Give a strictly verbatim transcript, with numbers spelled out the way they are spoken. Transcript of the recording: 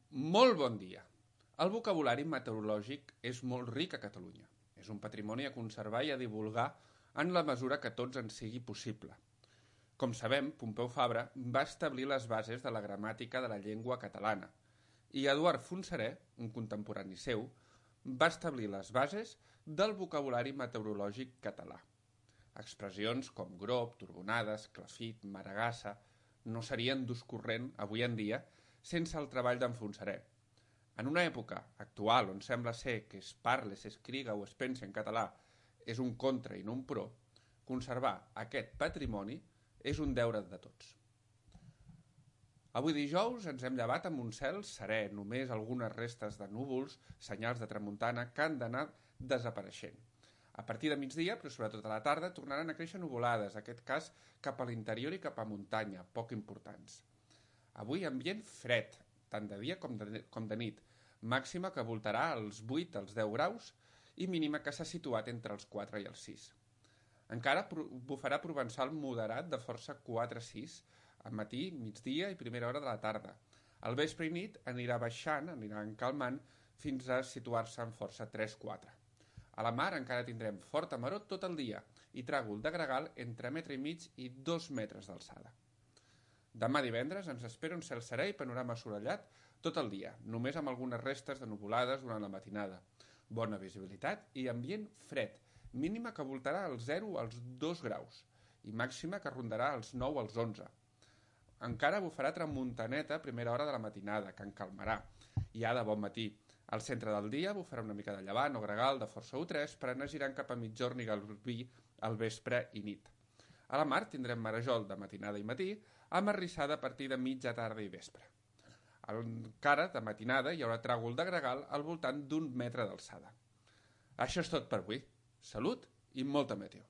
Molt bon dia. El vocabulari meteorològic és molt ric a Catalunya. És un patrimoni a conservar i a divulgar en la mesura que tots en sigui possible. Com sabem, Pompeu Fabra va establir les bases de la gramàtica de la llengua catalana i Eduard Fontserè, un contemporani seu, va establir les bases del vocabulari meteorològic català. Expressions com grop, turbonades, clafit, maragassa no serien d'ús corrent avui en dia sense el treball d'en Fontserè. En una època actual on sembla ser que es parla, s'escriga o es pensa en català és un contra i no un pro, conservar aquest patrimoni és un deure de tots. Avui dijous ens hem llevat amb un cel serè, només algunes restes de núvols, senyals de tramuntana que han d'anar desapareixent. A partir de migdia, però sobretot a la tarda, tornaran a créixer nuvolades, en aquest cas cap a l'interior i cap a muntanya, poc importants. Avui ambient fred, tant de dia com de, com de nit, màxima que voltarà als vuit als deu graus i mínima que s'ha situat entre els quatre i els sis. Encara bufarà provençal moderat de força quatre a sis, al matí, migdia i primera hora de la tarda. Al vespre i nit anirà baixant, anirà encalmant, fins a situar-se en força tres a quatre. A la mar encara tindrem forta maror tot el dia i tràgol de gregal entre metre i mig i dos metres d'alçada. Demà divendres ens espera un cel serè i panorama assolellat tot el dia, només amb algunes restes de nuvolades durant la matinada. Bona visibilitat i ambient fred, mínima que voltarà als zero als dos graus i màxima que rondarà als nou als onze. Encara bufarà tramuntaneta a primera hora de la matinada, que encalmarà, i ha de bon matí. Al centre del dia bufarà una mica de llevant o gregal de força u tres per anar girant cap a mitjorn i Garbí al vespre i nit. A la mar tindrem marejol de matinada i matí, amb arrissada a partir de mitja tarda i vespre. Encara de matinada hi haurà tràgol de gregal al voltant d'un metre d'alçada. Això és tot per avui. Salut i molta meteo.